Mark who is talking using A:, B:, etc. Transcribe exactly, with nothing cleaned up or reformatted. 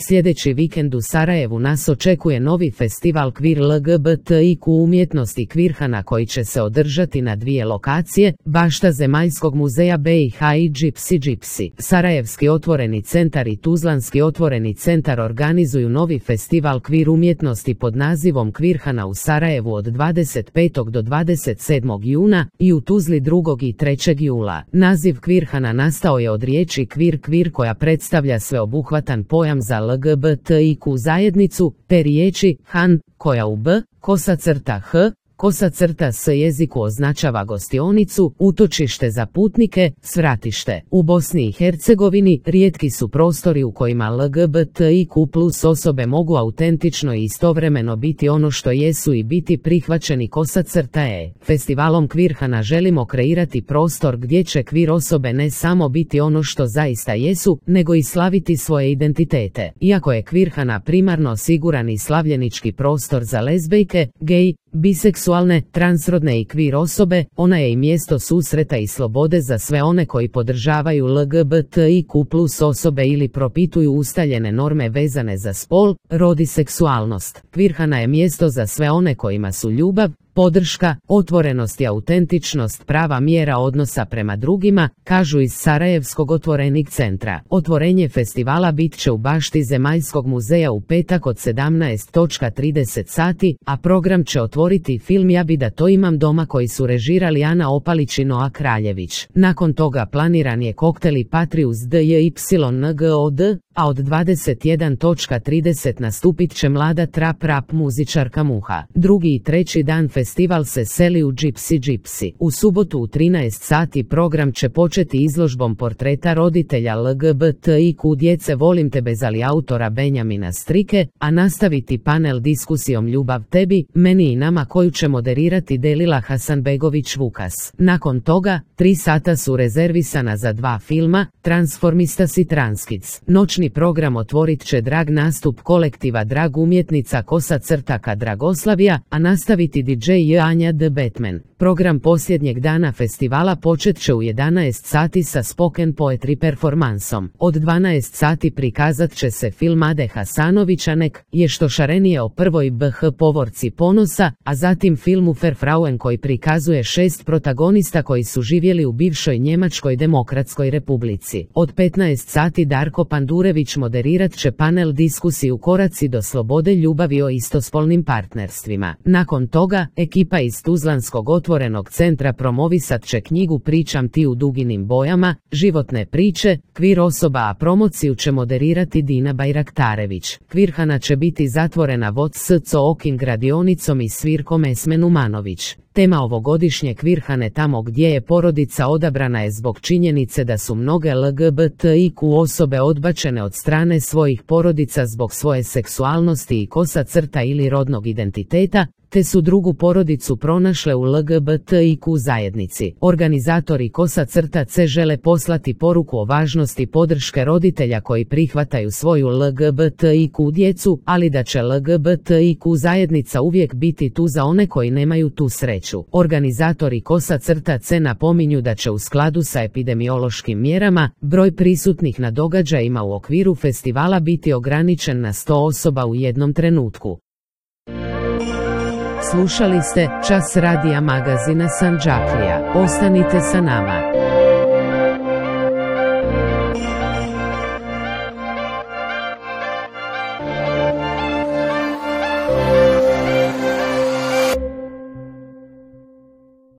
A: Sljedeći vikend u Sarajevu nas očekuje novi festival Kvir L G B T I Q umjetnosti Kvirhana koji će se održati na dvije lokacije, bašta Zemaljskog muzeja B i H i Gypsy Gypsy. Sarajevski otvoreni centar i Tuzlanski otvoreni centar organizuju novi festival Kvir umjetnosti pod nazivom Kvirhana u Sarajevu od dvadeset petog do dvadeset sedmog juna i u Tuzli drugog i trećeg jula. Naziv Kvirhana nastao je od riječi kvir kvir koja predstavlja sveobuhvatan pojam za L G B T I Q zajednicu, te riječi han, koja u b, kosa crta h, kosa crta s jeziku označava gostionicu, utočište za putnike, svratište. U Bosni i Hercegovini rijetki su prostori u kojima L G B T I Q plus osobe mogu autentično i istovremeno biti ono što jesu i biti prihvaćeni kosa crta e. Festivalom Kvirhana želimo kreirati prostor gdje će kvir osobe ne samo biti ono što zaista jesu, nego i slaviti svoje identitete. Iako je Kvirhana primarno siguran i slavljenički prostor za lezbejke, gej, biseksualne, transrodne i kvir osobe, ona je i mjesto susreta i slobode za sve one koji podržavaju L G B T I Q plus osobe ili propituju ustaljene norme vezane za spol, rod i seksualnost. Kvirhana je mjesto za sve one kojima su ljubav, podrška, otvorenost i autentičnost prava mjera odnosa prema drugima, kažu iz Sarajevskog otvorenog centra. Otvorenje festivala bit će u bašti Zemaljskog muzeja u petak od sedamnaest do trideset sati, a program će otvoriti film Ja bi da to imam doma koji su režirali Ana Opalić i Noa Kraljević. Nakon toga planiran je koktel i Patrius D J Y N G O D, a od dvadeset jedan do trideset nastupit će mlada trap rap muzičarka Muha. Drugi i treći dan festival se seli u Gypsy Gypsy. U subotu u trinaest sati program će početi izložbom portreta roditelja L G B T I Q djece Volim te bez ali autora Benjamina Strike, a nastaviti panel diskusijom Ljubav tebi, meni i nama koju će moderirati Delila Hasanbegović Vukas. Nakon toga, tri sata su rezervisana za dva filma, Transformistas i Transkids. Noćni program otvorit će drag nastup kolektiva drag umjetnica Kosa crtaka Dragoslavija, a nastaviti D J Anja The Batman. Program posljednjeg dana festivala počet će u jedanaest sati sa spoken poetry performansom. Od dvanaest sati prikazat će se film Ade Hasanovića Nek je što šarenije o prvoj B H povorci ponosa, a zatim filmu Verfrauen koji prikazuje šest protagonista koji su živjeli u bivšoj Njemačkoj demokratskoj republici. Od petnaest sati Darko Pandurević moderirat će panel diskusiju Koraci do slobode ljubavi o istospolnim partnerstvima. Nakon toga, ekipa iz Tuzlanskog otvorenog centra promovisat će knjigu Pričam ti u duginim bojama, životne priče, kvir osoba, a promociju će moderirati Dina Bajraktarević. Kvirhana će biti zatvorena vod s okim radionicom i svirkom Esmen Umanović. Tema ovogodišnje Kvirhane tamo gdje je porodica odabrana je zbog činjenice da su mnoge L G B T I Q osobe odbačene od strane svojih porodica zbog svoje seksualnosti i kosa crta ili rodnog identiteta, te su drugu porodicu pronašle u L G B T I Q zajednici. Organizatori Kosa crta C žele poslati poruku o važnosti podrške roditelja koji prihvataju svoju L G B T I Q djecu, ali da će L G B T I Q zajednica uvijek biti tu za one koji nemaju tu sreću. Organizatori Kosa crta C napominju da će u skladu sa epidemiološkim mjerama broj prisutnih na događajima u okviru festivala biti ograničen na sto osoba u jednom trenutku. Slušali ste Čas radija magazina Sandžaklija. Ostanite sa nama.